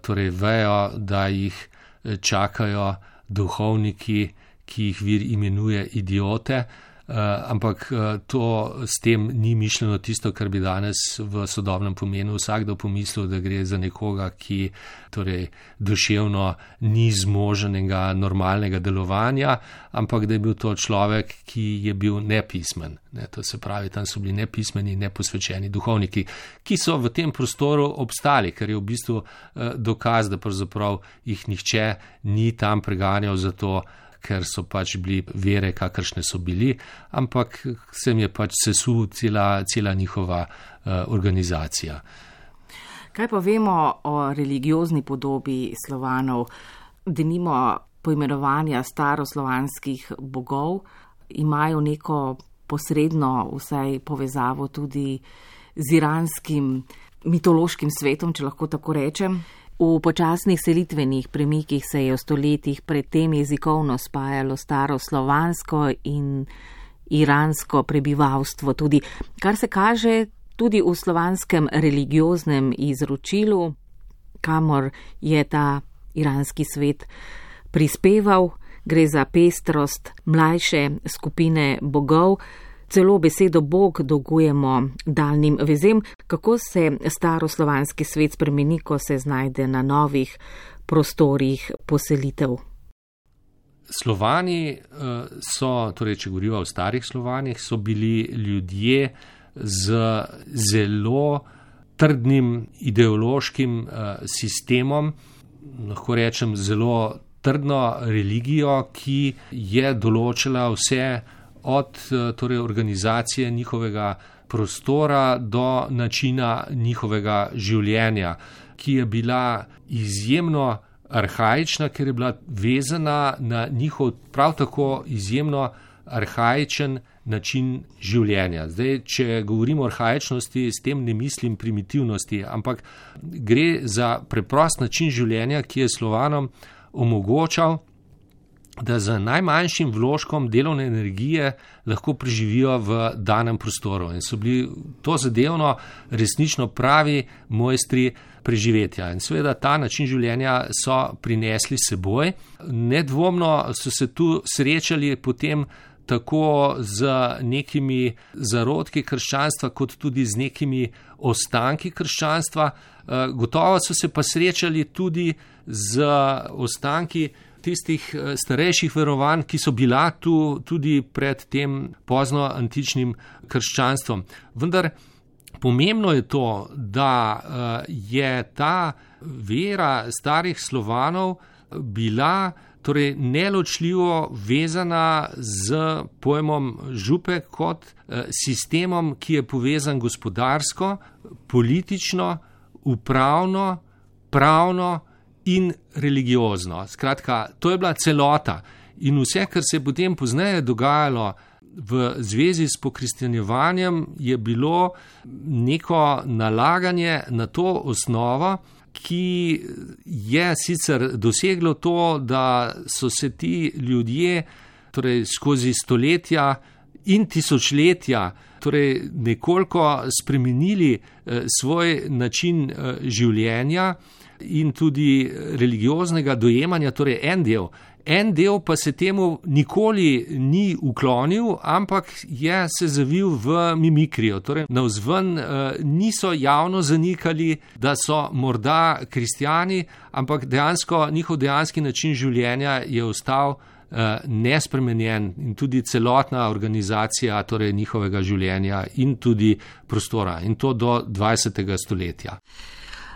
torej vejo, da jih čakajo duhovniki, ki jih vir imenuje idiote, Uh, ampak uh, to s tem ni mišljeno tisto, kar bi danes v sodobnem pomenu vsakdo pomislil, da gre za nekoga, ki torej duševno ni zmoženega normalnega delovanja, ampak da je bil to človek, ki je bil nepismen. Ne, to se pravi, tam so bili nepismeni, neposvečeni duhovniki, ki so v tem prostoru obstali, ker je v bistvu uh, dokaz, da pravzaprav jih nihče ni tam preganjal za to, ker so pač bili vere, kakršne so bili, ampak se mi je pač sesul cela, cela njihova uh, organizacija. Kaj pa vemo o religiozni podobi Slovanov, denimo poimenovanja staroslovanskih bogov, imajo neko posredno vsaj povezavo tudi z iranskim mitološkim svetom, če lahko tako rečem. V počasnih selitvenih premikih se je v stoletjih predtem jezikovno spajalo staro slovansko in iransko prebivalstvo tudi, kar se kaže tudi v slovanskem religioznem izročilu, kamor je ta iranski svet prispeval. Gre za pestrost mlajše skupine bogov. Celo besedo Bog dolgujemo daljnim vezem, kako se staroslovanski svet spremeni, ko se znajde na novih prostorih poselitev. Slovani so, torej če govorimo o starih Slovanih, so bili ljudje z zelo trdnim ideološkim sistemom, lahko rečem zelo trdno religijo, ki je določila vse od torej, organizacije njihovega prostora do načina njihovega življenja, ki je bila izjemno arhaična, ker je bila vezana na njihov prav tako izjemno arhaičen način življenja. Zdaj, če govorimo o arhaičnosti, s tem ne mislim primitivnosti, ampak gre za preprost način življenja, ki je Slovanom omogočal, da z najmanjšim vložkom delovne energije lahko preživijo v danem prostoru. In so bili to zadevno resnično pravi mojstri preživetja. In seveda ta način življenja so prinesli seboj. Nedvomno so se tu srečali potem tako z nekimi zarodki krščanstva, kot tudi z nekimi ostanki krščanstva. Gotovo so se pa srečali tudi z ostanki tistih starejših verovanj, ki so bila tu tudi pred tem pozno antičnim krščanstvom. Vendar pomembno je to, da je ta vera starih Slovanov bila torej neločljivo vezana z pojmom župe kot sistemom, ki je povezan gospodarsko, politično, upravno, pravno in religiozno. Skratka, to je bila celota in vse, kar se je potem pozneje dogajalo v zvezi s pokristjanjevanjem, je bilo neko nalaganje na to osnovo, ki je sicer doseglo to, da so se ti ljudje torej skozi stoletja in tisočletja torej nekoliko spremenili eh, svoj način eh, življenja in tudi religioznega dojemanja, torej en del. En del pa se temu nikoli ni uklonil, ampak je se zavil v mimikrijo. Torej, navzven eh, niso javno zanikali, da so morda kristjani, ampak dejansko njihov dejanski način življenja je ostal eh, nespremenjen in tudi celotna organizacija torej njihovega življenja in tudi prostora. In to do dvajsetega stoletja.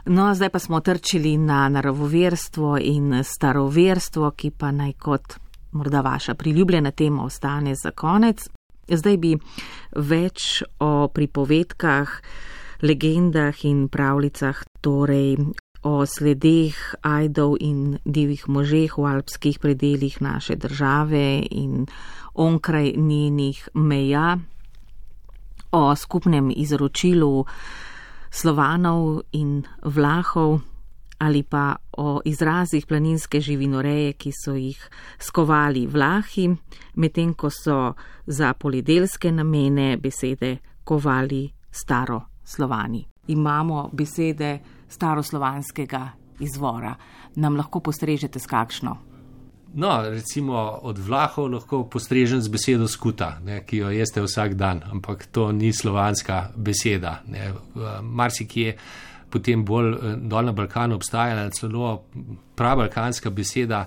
No, zdaj pa smo trčili na naravoverstvo in staroverstvo, ki pa naj kot morda vaša priljubljena tema ostane za konec. Zdaj bi več o pripovedkah, legendah in pravljicah, torej o sledeh ajdov in divjih možeh v alpskih predeljih naše države in onkraj njenih meja, o skupnem izročilu Slovanov in Vlahov ali pa o izrazih planinske živinoreje, ki so jih skovali Vlahi, medtem ko so za poljedelske namene besede kovali staroslovani. Imamo besede staroslovanskega izvora. Nam lahko postrežete s kakšno? No, recimo od Vlahov lahko postrežem z besedo skuta, ne, ki jo jeste vsak dan, ampak to ni slovanska beseda. Ne. Marsikje potem bolj dol na Balkanu obstaja celo prabalkanska beseda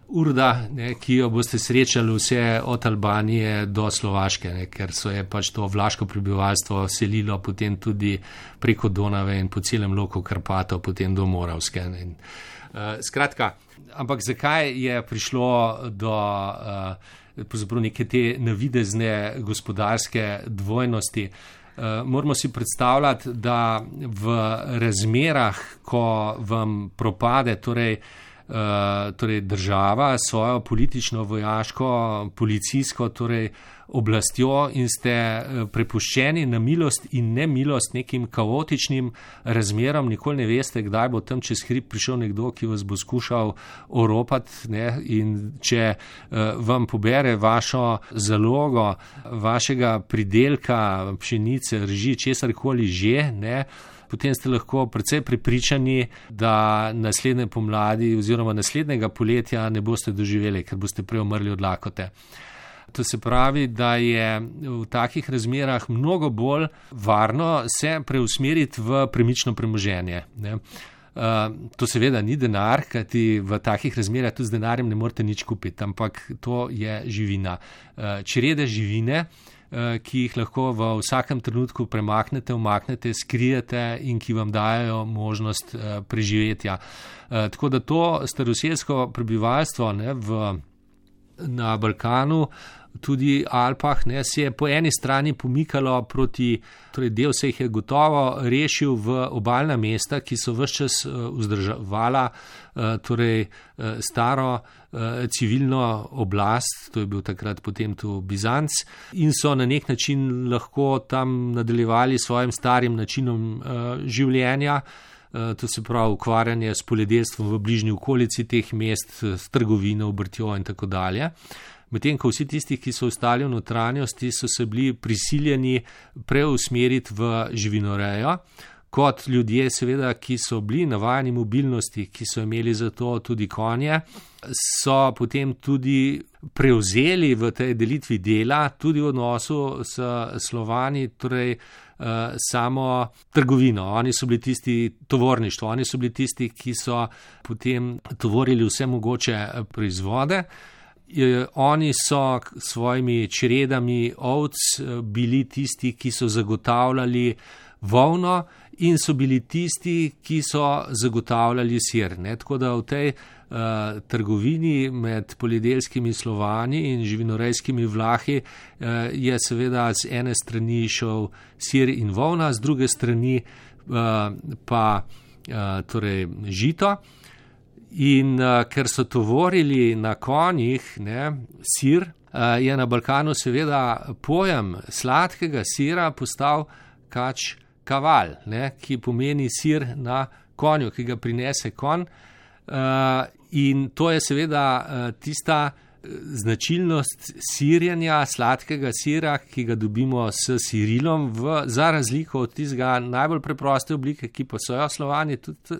urda, ne, ki jo boste srečali vse od Albanije do Slovaške, ne, ker so je pač to vlaško prebivalstvo selilo potem tudi preko Donave in po celem loku Karpatov, potem do Moravske. Ne. Uh, skratka, ampak zakaj je prišlo do uh, neke te navidezne gospodarske dvojnosti? Uh, moramo si predstavljati, da v razmerah, ko vam propade torej, uh, torej država svojo politično, vojaško, policijsko torej oblastjo in ste prepuščeni na milost in nemilost nekim kaotičnim razmeram, nikoli ne veste, kdaj bo tam čez hrib prišel nekdo, ki vas bo skušal oropati, ne, in če uh, vam pobere vašo zalogo, vašega pridelka, pšenice, rži, česarkoli že, ne, potem ste lahko precej prepričani, da naslednje pomladi oziroma naslednjega poletja ne boste doživeli, ker boste prej umrli od lakote. To se pravi, da je v takih razmerah mnogo bolj varno se preusmeriti v premično premoženje. Ne. Uh, to seveda ni denar, kajti v takih razmerah tudi z denarjem ne morete nič kupiti, ampak to je živina. Uh, črede živine, uh, ki jih lahko v vsakem trenutku premaknete, umaknete, skrijete in ki vam dajo možnost uh, preživetja. Uh, tako da to staroselsko prebivalstvo, ne, v, na Balkanu, tudi Alpah, ne, se je po eni strani pomikalo proti, torej del se jih je gotovo rešil v obalna mesta, ki so ves čas vzdrževala torej staro civilno oblast, to je bil takrat potem tu Bizanc, in so na nek način lahko tam nadaljevali svojim starim načinom življenja. To se pravi ukvarjanje s poljedelstvom v bližnji okolici teh mest, s trgovino, obrtjo in tako dalje. Medtem ko vsi tisti, ki so ostali v notranjosti, so se bili prisiljeni preusmeriti v živinorejo, kot ljudje, seveda, ki so bili navajeni mobilnosti, ki so imeli za to tudi konje, so potem tudi prevzeli v tej delitvi dela, tudi v odnosu s Slovani, torej samo trgovino. Oni so bili tisti, tovorništvo, oni so bili tisti, ki so potem tovorili vse mogoče proizvode. Oni so svojimi čredami ovc bili tisti, ki so zagotavljali volno in so bili tisti, ki so zagotavljali sir. Ne? Tako da v tej uh, trgovini med poljedelskimi Slovani in živinorejskimi Vlahi uh, je seveda z ene strani šel sir in volna, z druge strani uh, pa uh, torej žito. In uh, ker so tovorili na konjih ne, sir, uh, je na Balkanu seveda pojem sladkega sira postal kač kaval, ne, ki pomeni sir na konju, ki ga prinese konj. Uh, in to je seveda uh, tista značilnost sirjenja sladkega sira, ki ga dobimo s sirilom, v, za razliko od tistega najbolj preproste oblike, ki pa so jo Slovani tudi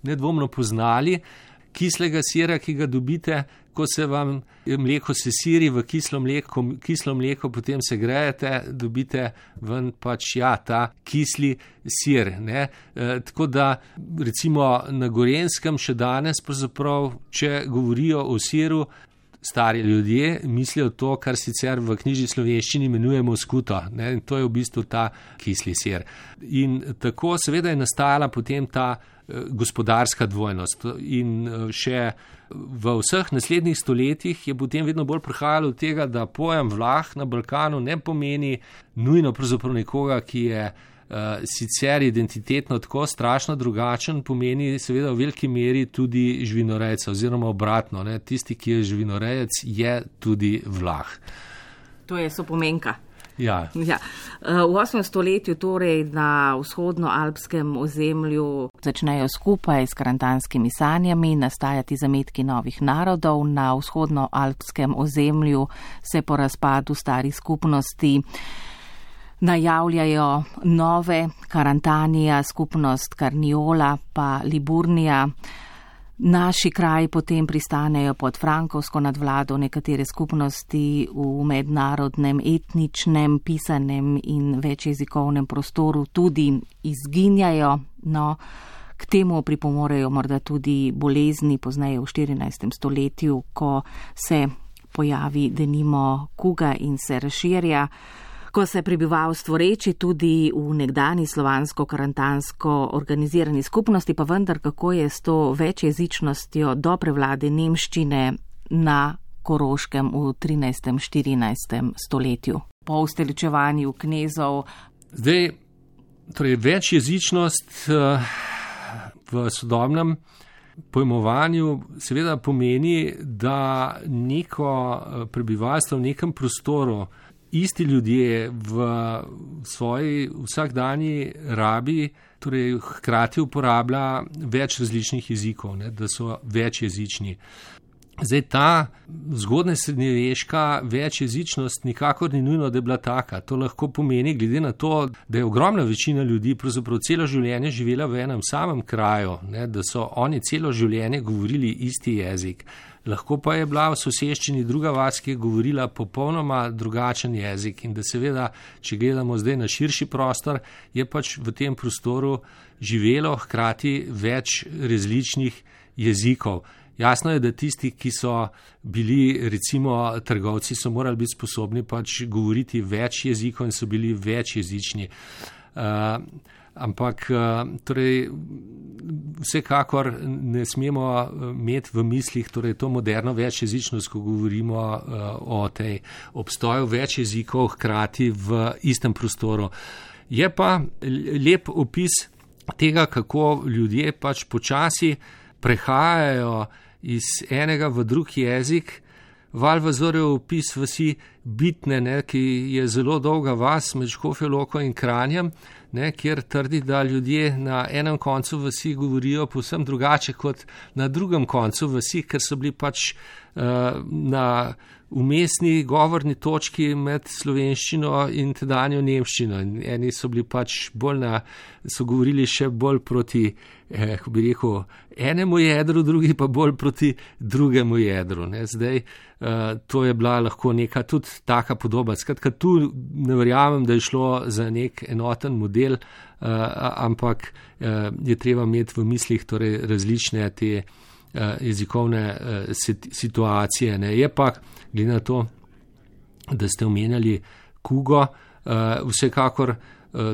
nedvomno poznali, kislega sira, ki ga dobite, ko se vam mleko sesiri v kislo mleko, kislo mleko potem se grejete, dobite ven pač ja, ta kisli sir. Ne? E, tako da recimo na Gorenjskem še danes, pravzaprav, če govorijo o siru, stari ljudje mislijo to, kar sicer v knjižni slovenščini imenujemo skuto. Ne? In to je v bistvu ta kisli sir. In tako seveda je nastajala potem ta gospodarska dvojnost in še v vseh naslednjih stoletjih je potem vedno bolj prihajalo od tega, da pojem Vlah na Balkanu ne pomeni nujno pravzaprav nekoga, ki je uh, sicer identitetno tako strašno drugačen, pomeni seveda v veliki meri tudi živinorejca oziroma obratno. Ne? Tisti, ki je živinorejec, je tudi Vlah. To je sopomenka. Ja. Ja. V osmem stoletju torej na vzhodnoalpskem ozemlju začnejo skupaj s karantanskimi sanjami nastajati zametki novih narodov. Na vzhodnoalpskem ozemlju se po razpadu starih skupnosti najavljajo nove, Karantanija, skupnost Karniola pa Liburnija. Naši kraji potem pristanejo pod frankovsko nadvlado, nekatere skupnosti v mednarodnem, etničnem, pisanem in večjezikovnem prostoru tudi izginjajo. No, k temu pripomorejo morda tudi bolezni pozneje v štirinajstem stoletju, ko se pojavi denimo kuga in se razširja. Ko se prebivalstvo reči tudi v nekdani slovansko-karantansko organizirani skupnosti, pa vendar kako je s to večjezičnostjo do prevlade nemščine na Koroškem v trinajstem štirinajstem stoletju. Po ustoličevanju knezov. Zdaj, torej večjezičnost v sodobnem pojmovanju seveda pomeni, da neko prebivalstvo v nekem prostoru, isti ljudje v svoji vsakdanji rabi, torej hkrati uporablja več različnih jezikov, ne, da so večjezični. Zdaj ta zgodnja srednjeveška večjezičnost nikakor ni nujno, da je bila taka. To lahko pomeni, glede na to, da je ogromna večina ljudi pravzaprav celo življenje živela v enem samem kraju, ne, da so oni celo življenje govorili isti jezik. Lahko pa je bila v soseščini druga vas, ki je govorila popolnoma drugačen jezik in da seveda, če gledamo zdaj na širši prostor, je pač v tem prostoru živelo hkrati več različnih jezikov. Jasno je, da tisti, ki so bili recimo trgovci, so morali biti sposobni pač govoriti več jezikov in so bili večjezični. Uh, ampak torej, vsekakor ne smemo imeti v mislih torej, to moderno večjezičnost, ko govorimo uh, o tej obstoju več jezikov hkrati v istem prostoru. Je pa lep opis tega, kako ljudje pač počasi prehajajo iz enega v drug jezik. Valvazorjev opis vasi Bitne, ne, ki je zelo dolga vas med Škofjo Loko in Kranjem, ne, kjer trdi, da ljudje na enem koncu vasi govorijo povsem drugače kot na drugem koncu vasi, ker so bili pač uh, na umestni govorni točki med slovenščino in tedanjo nemščino. In eni so bili pač bolj na, so govorili še bolj proti, eh, ko bi rekel, enemu jedru, drugi pa bolj proti drugemu jedru. Ne. Zdaj, eh, to je bila lahko neka tudi taka podoba. Skratka, tu ne verjamem, da je šlo za nek enoten model, eh, ampak eh, je treba imeti v mislih torej različne te jezikovne situacije. Ne. Je pa, glede na to, da ste omenjali kugo, vsekakor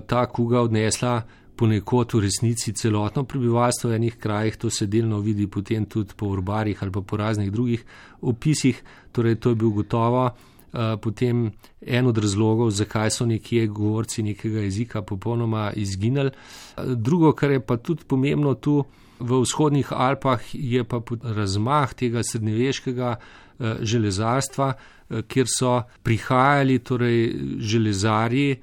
ta kuga odnesla ponekod v resnici celotno prebivalstvo v enih krajih, to se delno vidi potem tudi po urbarjih ali pa po raznih drugih opisih, torej to je bil gotovo potem en od razlogov, zakaj so nekje govorci nekega jezika popolnoma izginili. Drugo, kar je pa tudi pomembno tu, v vzhodnih Alpah je pa razmah tega srednjeveškega železarstva, kjer so prihajali torej železarji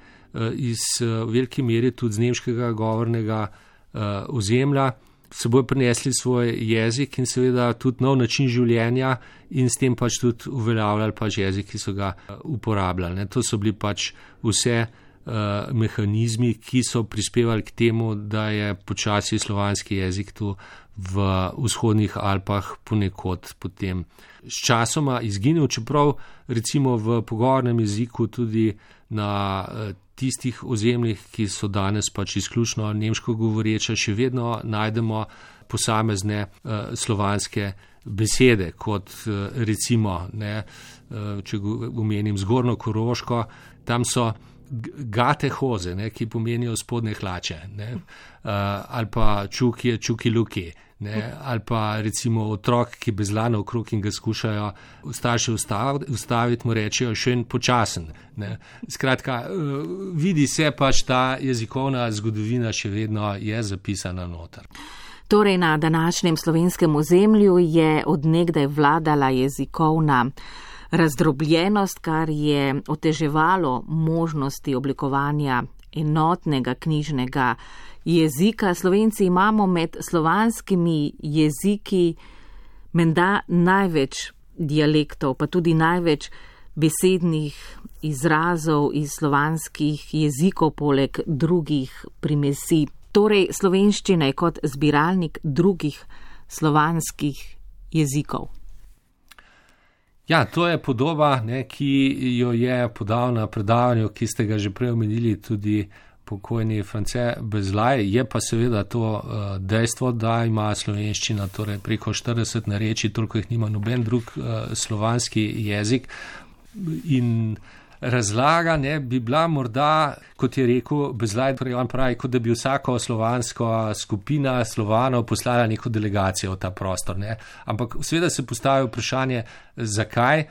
iz velike mere tudi z nemškega govornega ozemlja, seboj prinesli svoj jezik in seveda tudi nov način življenja in s tem pač tudi uveljavljali pač jezik, ki so ga uporabljali. To so bili pač vse mehanizmi, ki so prispevali k temu, da je počasi slovanski jezik tu v vzhodnih Alpah ponekod potem s časoma izginil, čeprav recimo v pogovornem jeziku tudi na tistih ozemljih, ki so danes pač izključno nemško govoreče, še vedno najdemo posamezne uh, slovanske besede, kot uh, recimo, ne, uh, če omenim Zgornjo Koroško, tam so gate hoze, ne, ki pomenijo spodnje hlače, ne, uh, ali pa čukje, čuki luki, ne, ali pa recimo otrok, ki bezlane okrog in ga skušajo starši ustaviti, ustaviti mu rečejo še en počasen. Ne. Skratka, uh, vidi se pač ta jezikovna zgodovina še vedno je zapisana noter. Torej na današnjem slovenskem ozemlju je od nekdaj vladala jezikovna razdrobljenost, kar je oteževalo možnosti oblikovanja enotnega knjižnega jezika. Slovenci imamo med slovanskimi jeziki menda največ dialektov, pa tudi največ besednih izrazov iz slovanskih jezikov poleg drugih primesi. Torej, slovenščina je kot zbiralnik drugih slovanskih jezikov. Ja, to je podoba, ne, ki jo je podal na predavanju, ki ste ga že prej omenili, tudi pokojni France Bezlaj. Je pa seveda to uh, dejstvo, da ima slovenščina torej preko štirideset narečij, toliko jih nima noben drug uh, slovanski jezik. In razlaga ne, bi bila morda, kot je rekel Bezlaj, torej on pravi, kot da bi vsako slovansko skupina Slovanov poslala neko delegacijo v ta prostor. Ne. Ampak seveda se postavi vprašanje, zakaj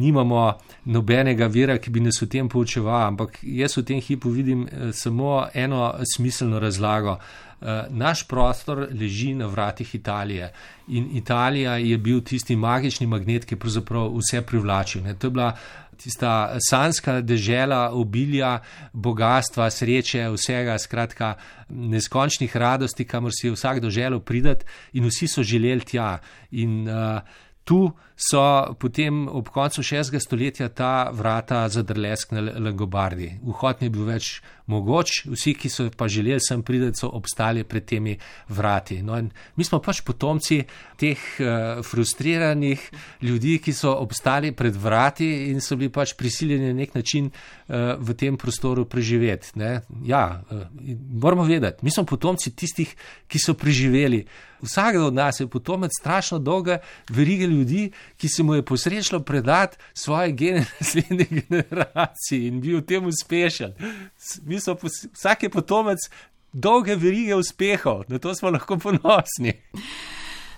nimamo nobenega vira, ki bi nas v tem poučeval, ampak jaz v tem hipu vidim samo eno smiselno razlago. Naš prostor leži na vratih Italije in Italija je bil tisti magični magnet, ki je pravzaprav vse privlačil. Ne. To je bila tista sanska dežela obilja, bogatstva, sreče, vsega, skratka neskončnih radosti, kamor si je vsak doželel pridati in vsi so želeli tja. In uh, tu so potem ob koncu šestega stoletja ta vrata zadrlesknili Langobardi. Vhod ni bil več mogoč, vsi, ki so pa želeli sem priti, so obstali pred temi vrati. No, in mi smo pač potomci teh uh, frustriranih ljudi, ki so obstali pred vrati in so bili pač prisiljeni na nek način uh, v tem prostoru preživeti. Ne? Ja, uh, moramo vedeti, mi smo potomci tistih, ki so preživeli. Vsak od nas je potomec strašno dolge verige ljudi, ki se mu je posrečilo predati svoje gene naslednji generaciji in bil v tem uspešen. Mi smo, vsak je potomec dolge verige uspehov, na to smo lahko ponosni.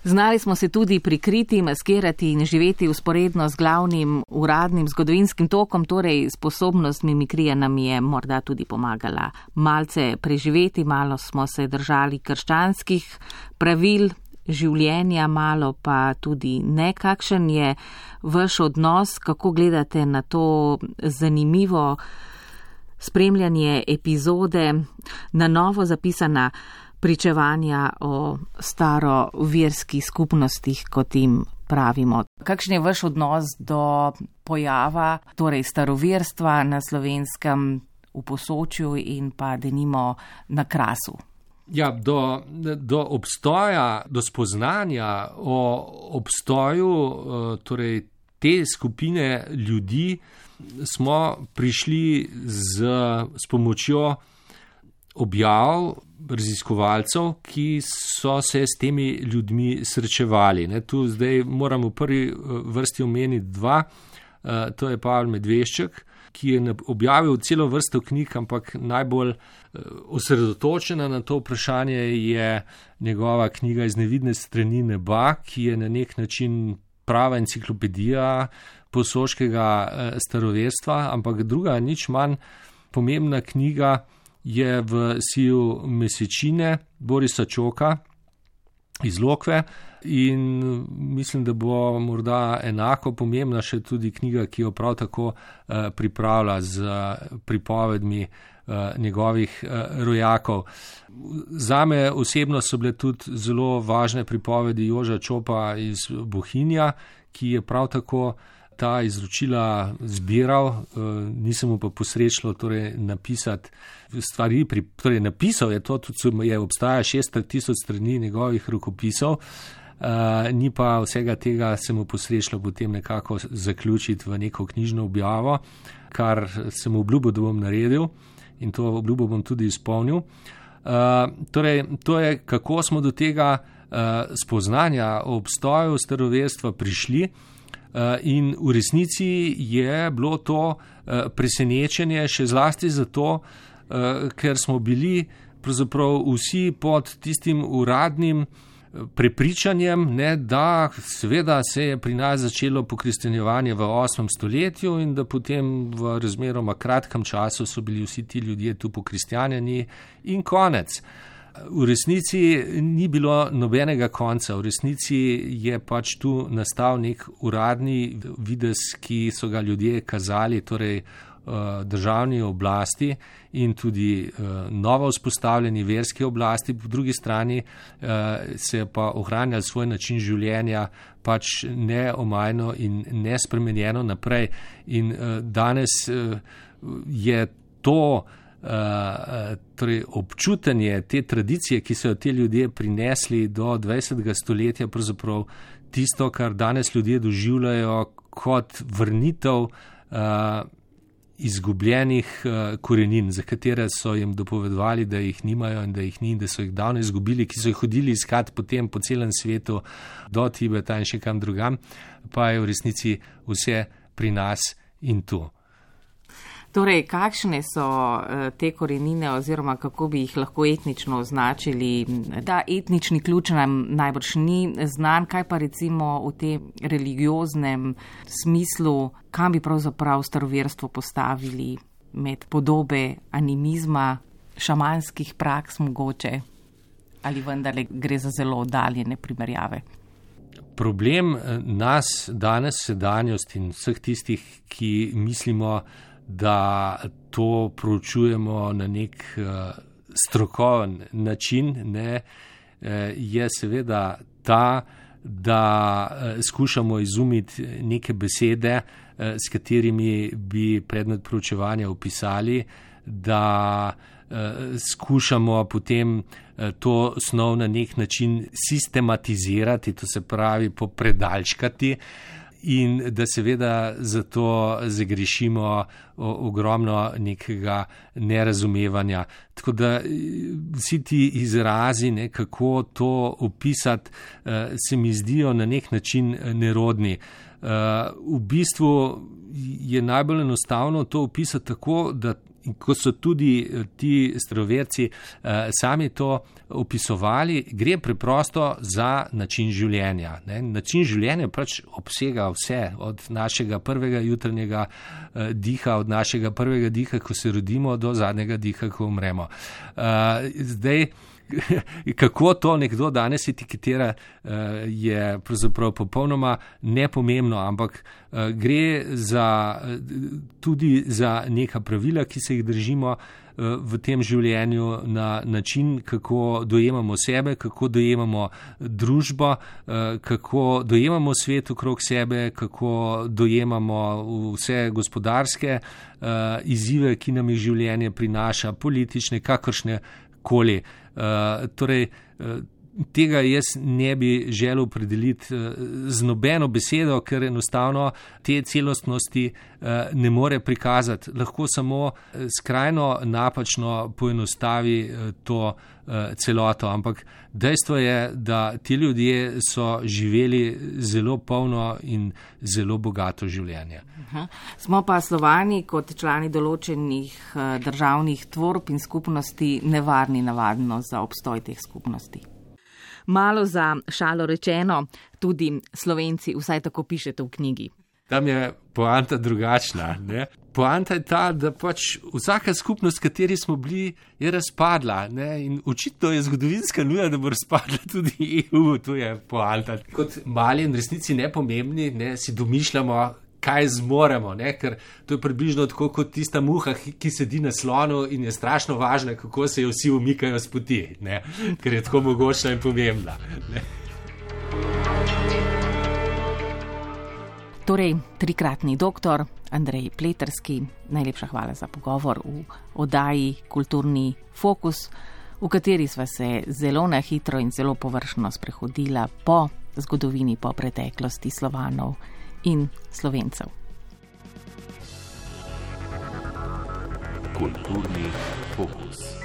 Znali smo se tudi prikriti, maskirati in živeti usporedno z glavnim uradnim zgodovinskim tokom, torej sposobnost mimikrije nam je morda tudi pomagala malce preživeti, malo smo se držali krščanskih pravil, življenja, malo pa tudi ne. Kakšen je vaš odnos, kako gledate na to zanimivo spremljanje epizode, na novo zapisana pričevanja o staroverskih skupnostih, kot jim pravimo? Kakšen je vaš odnos do pojava, torej staroverstva na Slovenskem, v Posočju in pa denimo na Krasu? Ja, do, do obstoja, do spoznanja o obstoju torej te skupine ljudi smo prišli z, s pomočjo objav raziskovalcev, ki so se s temi ljudmi srečevali. Ne, tu zdaj moram v prvi vrsti omeniti dva, to je Pavel Medvešček, ki je objavil celo vrsto knjig, ampak najbolj osredotočena na to vprašanje je njegova knjiga Iz nevidne strani neba, ki je na nek način prava enciklopedija posoškega staroverstva, ampak druga, nič manj pomembna knjiga je V siju mesečine Borisa Čoka iz Lokve in mislim, da bo morda enako pomembna še tudi knjiga, ki jo prav tako eh, pripravlja z pripovedmi eh, njegovih eh, rojakov. Zame osebno so bile tudi zelo važne pripovedi Joža Čopa iz Bohinja, ki je prav tako ta izročila zbiral, nisem mu pa posrečilo torej napisati stvari, torej napisal je to, tudi je obstaja šest tisoč strani njegovih rokopisov, ni pa vsega tega se mu posrečilo potem nekako zaključiti v neko knjižno objavo, kar sem obljubil, da bom naredil in to obljubo bom tudi izpolnil. Torej, to je, kako smo do tega spoznanja o obstoju staroverstva prišli. In v resnici je bilo to presenečenje še zlasti zato, ker smo bili pravzaprav vsi pod tistim uradnim prepričanjem, ne, da seveda se je pri nas začelo pokristjanjevanje v osmem stoletju in da potem v razmeroma kratkem času so bili vsi ti ljudje tu pokristjanjeni in konec. V resnici ni bilo nobenega konca, v resnici je pač tu nastal nek uradni videz, ki so ga ljudje kazali, torej državni oblasti in tudi novo vzpostavljeni verski oblasti, po drugi strani se je pa ohranjal svoj način življenja pač neomajno in nespremenjeno naprej. In danes je to Uh, torej občutenje te tradicije, ki so jo te ljudje prinesli do dvajsetega stoletja, pravzaprav tisto, kar danes ljudje doživljajo kot vrnitev uh, izgubljenih uh, korenin, za katere so jim dopovedovali, da jih nimajo in da jih ni in da so jih davno izgubili, ki so jih hodili iskat potem po celem svetu do Tibeta in še kam drugam, pa je v resnici vse pri nas in tu. Torej, kakšne so te korenine oziroma kako bi jih lahko etnično označili? Da, etnični ključ nam najbrž ni znan, kaj pa recimo v tem religioznem smislu, kam bi pravzaprav staroverstvo postavili med podobe animizma, šamanskih praks mogoče, ali vendarle gre za zelo oddaljene primerjave? Problem nas danes, sedanjost in vseh tistih, ki mislimo, da to proučujemo na nek uh, strokoven način, ne, uh, je seveda ta, da uh, skušamo izumiti neke besede, uh, s katerimi bi predmet proučevanja opisali, da uh, skušamo potem uh, to snov na nek način sistematizirati, to se pravi popredalčkati, in da seveda zato zagrešimo ogromno nekega nerazumevanja. Tako da vsi ti izrazi, ne, kako to opisati, se mi zdijo na nek način nerodni. V bistvu je najbolj enostavno to opisati tako, da ko so tudi ti staroverci eh, sami to opisovali, gre preprosto za način življenja. Ne? Način življenja pač obsega vse, od našega prvega jutranjega eh, diha, od našega prvega diha, ko se rodimo, do zadnjega diha, ko umremo. Eh, zdaj, kako to nekdo danes etiketira, je pravzaprav popolnoma nepomembno, ampak gre za, tudi za neka pravila, ki se jih držimo v tem življenju, na način, kako dojemamo sebe, kako dojemamo družbo, kako dojemamo svet okrog sebe, kako dojemamo vse gospodarske izzive, ki nam jih življenje prinaša, politične, kakršne koli. Torej, tega jaz ne bi želel opredeliti z nobeno besedo, ker enostavno te celostnosti ne more prikazati. Lahko samo skrajno napačno poenostavi to celoto, ampak dejstvo je, da ti ljudje so živeli zelo polno in zelo bogato življenje. Aha. Smo pa Slovani kot člani določenih državnih tvorb in skupnosti nevarni navadno za obstoj teh skupnosti. Malo za šalo rečeno, tudi Slovenci, vsaj tako pišete v knjigi. Tam je poanta drugačna. Ne? Poanta je ta, da pač vsaka skupnost, v kateri smo bili, je razpadla. Ne? In očitno je zgodovinska nuja, da bo razpadla tudi E U. To je poanta. Kot mali in resnici nepomembni, ne, si domišljamo, kaj zmoremo, ne? Ker to je približno tako kot tista muha, ki sedi na slonu in je strašno važna, kako se jo vsi umikajo z poti, ne? Ker je tako mogočna in pomembna. Ne? Torej, trikratni doktor Andrej Pleterski, najlepša hvala za pogovor v oddaji Kulturni fokus, v kateri sva se zelo na hitro in zelo površno sprehodila po zgodovini, po preteklosti Slovanov in Slovencev. Kulturni fokus.